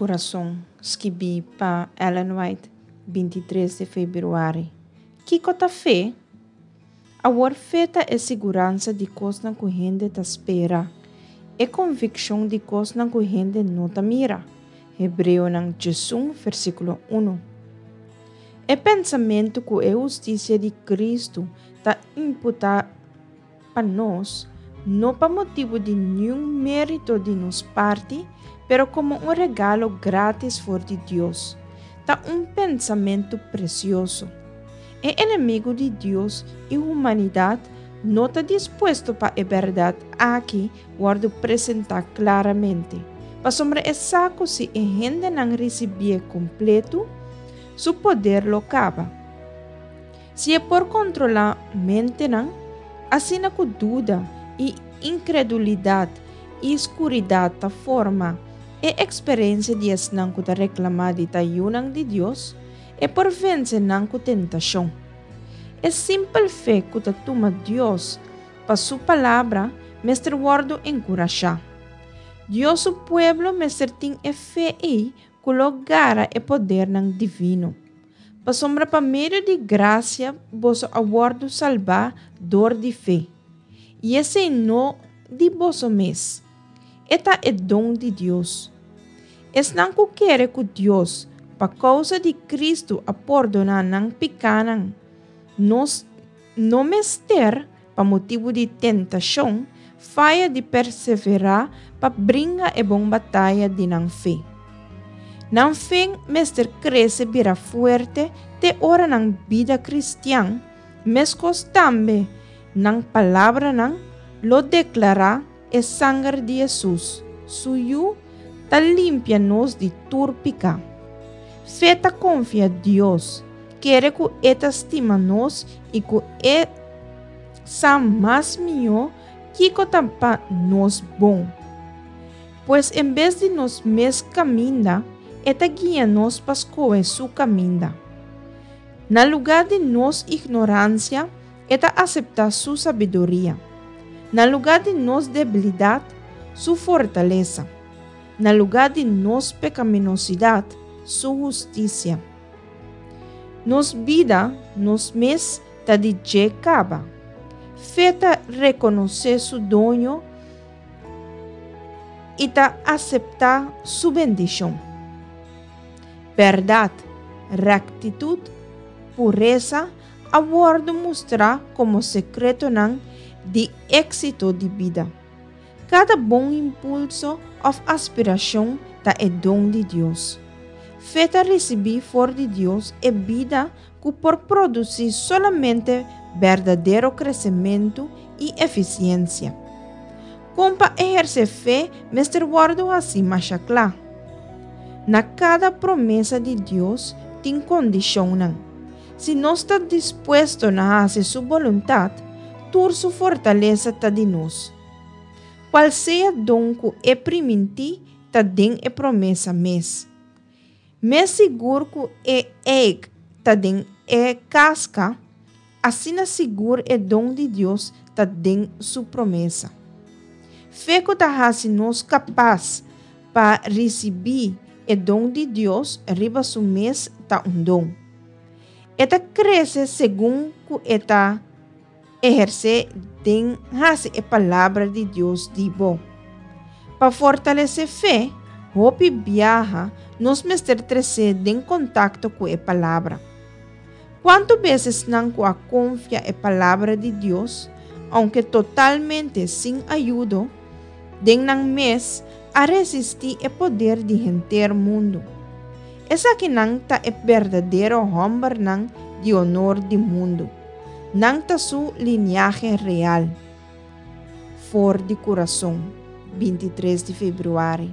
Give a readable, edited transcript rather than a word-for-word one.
Kurason, skibí pa Ellen White, 23 di febrüari. Kiko ta fe? Awor fe ta e siguransa di kosnan ku hende ta spera, e konvikshon di kosnan ku hende no ta mira. Hebreonan 11 versíkulo 1. E pensamentu ku e hustisia di Kristu ta imputá pa nos, no pa motibu di niun mérito di nos parti, pero komo un regalo grátis for di Dios, ta un pensamentu presioso. E enemigu di Dios i humanidat no ta dispuesto pa e bèrdat aki wòrdu presentá klaramente, pasobra e sa ku si e hendenan risibié kompletu, su poder lo kaba. Si e por kontrolá mentenan, asina ku duda i inkredulidat i skuridat ta forma e eksperensia di esnan ku ta reklamá di ta yunan di Dios, e por vense nan ku tentashon. E simpel fe ku ta tuma Dios pa su Palabra mester wòrdu enkurashá. Dios su pueblo mester tin e fe ei ku lo gara e podernan divino. Pasobra pa medio di grasia boso a wòrdu salbá dor di fe, i esei no di boso mes, e ta e don di Dios. Esnan ku kere ku Dios pa kousa di Kristu a pordoná nan pikánan, nos no mester, pa motibu di tentashon, faya di perseverá pa bringa e bon bataya di nan fe. Nan fe mester krese bira fuerte te ora nan bida kristian, meskos tambe nan palabranan, lo deklará e sanger di Hesus, su Yu, ta limpia nos di tur piká. Fe ta konfia Dios, kere ku e ta stima nos i ku e sa mas mihó kiko ta pa nos bon. Pues en bes di nos mes kaminda, e ta guia nos pa skohe su kaminda. Na lugá di nos ignoransia, e ta aseptá su sabiduria. Na lugá di nos debilidat, su fortalesa. Na lugá di nos pekaminosidat, su hustisia. Nos bida, nos mes, ta di dje kaba. Fe ta rekonosé su doño i ta aseptá su bendishon. Bèrdat, rèktitut, puresa a wòrdu mustrá komo sekretonan di éksito di bida. Kada bon impulso òf aspirashon ta e don di Dios. Fe ta risibí for di Dios e bida ku por produsí solamente berdadero kresementu i efisiensia. Kon pa ehersé fe mester wòrdu hasí masha kla. Na kada promesa di Dios tin kondishonnan. Si nos ta dispuesto na hasi su boluntat, tur su fortalesa ta di nos. Kual sea don ku e primintí ta den e promesa mes. Mes sigur ku e eik ta den e kaska, asina sigur e don di Dios ta den su promesa. Fe ku ta hasi nos kapas pa risibí e don di Dios riba su mes ta un don. E ta krese segun ku e ta ehersé den hasi e Palabra di Dios di bo. Pa fortalesé fe, hopi biaha nos mester tresé den kontakto ku e Palabra. Kuantu bes esnan ku a konfia e Palabra di Dios, ounke totalmente sin ayudo, den nan mes a resistí e poder di henter mundu? Esakinan ta e berdadero hòmbernan di onor di mundu. Nan ta su liniahe real. For di kurason, 23 di febrüari.